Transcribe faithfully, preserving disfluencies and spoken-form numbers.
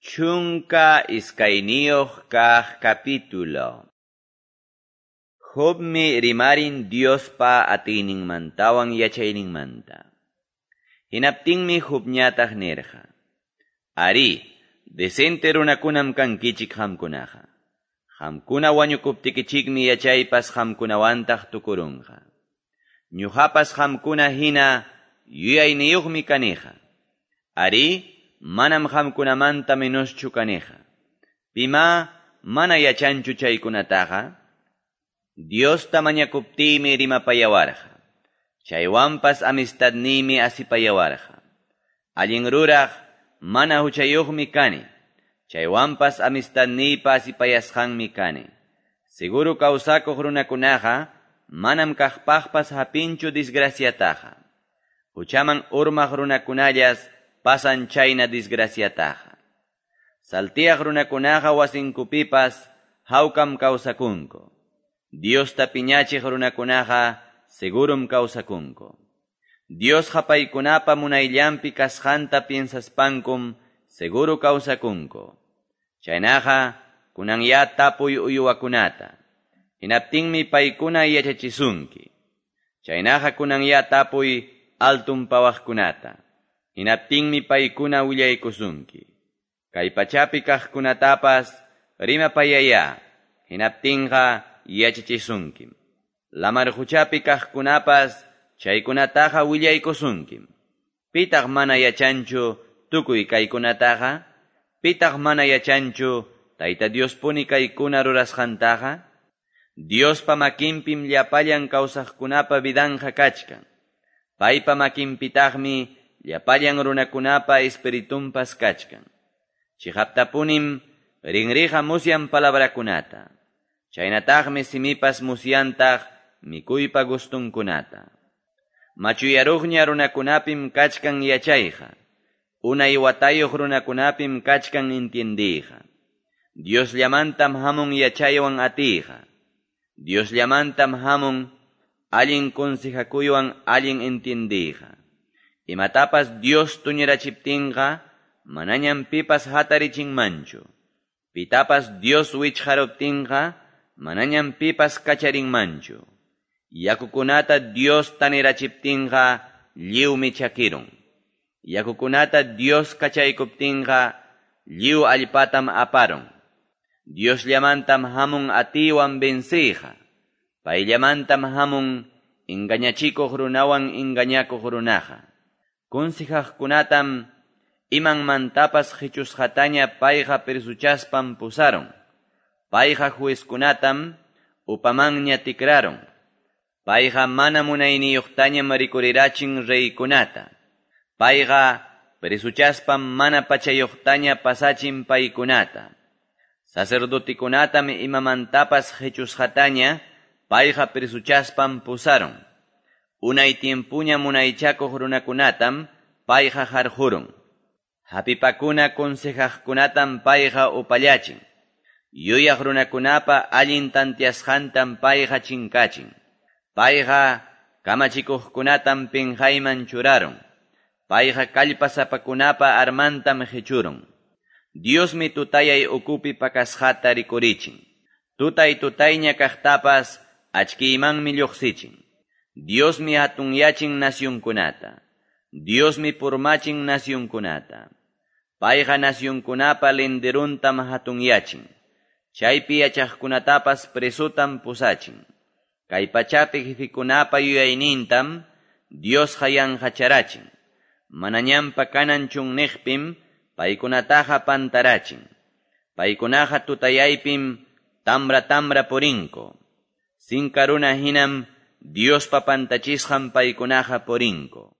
Chunka iskayniyuq kaq capítulo. Jobmi rimarin Diospa atiyninmantawan yachayninmanta. Hinaptinmi Jobñataq nirqa: Ari, decente runakunam kankichik qamkunaqa. Qamkuna wañukuptikichikmi yachaypas qamkunawantaq tukurunqa. Ñuqapas qamkuna hina yuyayniyuqmi kaniqa. Ari, manam qamkunamanta menoschu kaniqa. Pima mana yachanchu chaykunataqa? Diosta mañakuptiymi rimapayawarqa. Chaywanpas amistadniymi asipayawarqa. Allin ruraq mana huchayuqmi kani. Chaywanpas amistadniypa asipayasqanmi kani. Seguro kawsakuq runakunaqa manam kaqpaqpas hapinchu disgraciataqa. Huchaman urmaq runakunallas pasan chayna disgraciataqa. Saltiaq runakunaqa wasinkupipas hawkam kawsakunku. Diosta piñachiq runakunaqa segurum kawsakunku. Diosqa paykunapa munayllanpi kasqanta piensaspankum seguro kawsakunku. Chaynaqa kunanya tapuy uywakunata. Hinaptinmi paykuna yachachisunki. Chaynaqa kunanya tapuy altun pawaqkunata. Hinaptinmi paykuna willaykusunki. Kay pachapi kaqkunatapas rimapayaya. Hinaptinqa yachachisunkim. Lamar huchapi kaqkunapas chaykunataqa willaykusunkim. Pitaq mana yachanchu tukuy kaykunataqa? Pitaq mana yachanchu Tayta Diospuni kaykuna rurasqantaqa? Diospa makinpim llapallan kawsaqkunapa vidanqa kachkan. Paypa makinpitaqmi llapallan runakunapa espiritunpas kachkan. Chiqaptapunim rinriqa musyan palabrakunata. Chaynataqmi simipas musyantaq mikuypa gustunkunata. Machuyaruqña runakunapim kachkan yachayqa. Unay watayuq runakunapim kachkan entiendiyqa. Diosllamantam hamun yachaywan atiyqa. Diosllamantam hamun allin consejakuywan allin entiendiyqa. Imatapas Dios tuñirachiptinqa manañam pipas hatarichinmanchu. Pitapas Dios wichqaruptinqa manañam pipas kacharinmanchu. Yakukunata Dios tanirachiptinqa lliwmi chakirun. Yakukunata Dios kachaykuptinqa lliw allpatam aparun. Diosllamantam hamun atiwan venciyqa. Payllamantam hamun engañachikuq runawan engañakuq runaqa. Consejaqkunatam imanmantapas qichusqataña payqa presuchaspan pusarun. Payqa juezkunatam upamanña tikrarun. Payqa mana munayniyuqtañam rikurirachin reykunata. Payqa presuchaspan mana pachayuqtaña pasachin paykunata. Sacerdotikunatam imamantapas qichusqataña payqa presuchaspan pusarun. Unay tiempuña munaychakuq runakunatam payqa harqurun. Hapipakuna consejaqkunatam payqa upallachin. Yuyaq runakunapa allin tantiasqantam payqa chinkachin. Payqa kamachikuqkunatam pinqayman churarun. Payqa kallpasapakunapa armantam qichurun. Diosmi tutayay ukupi pakasqata rikurichin. Tutay tutayña kaqtapas achkiymanmi lluqsichin. Diosmi hatunyachin nasyunkunata. Diosmi purmachin nasyunkunata. Payqa nasyunkunapa linderuntam hatunyachin. Chaypi yachaqkunatapas presutam pusachin. Kay pachapi jefikunapa yuyaynintam Diosqa yanqacharachin. Manañampa kanan chunniqpim paykunataqa pantarachin. Paykunaqa tutayaypim tamra tamra purinku. Sinka runa hinam Diospa pantachisqan paykunaqa purinku.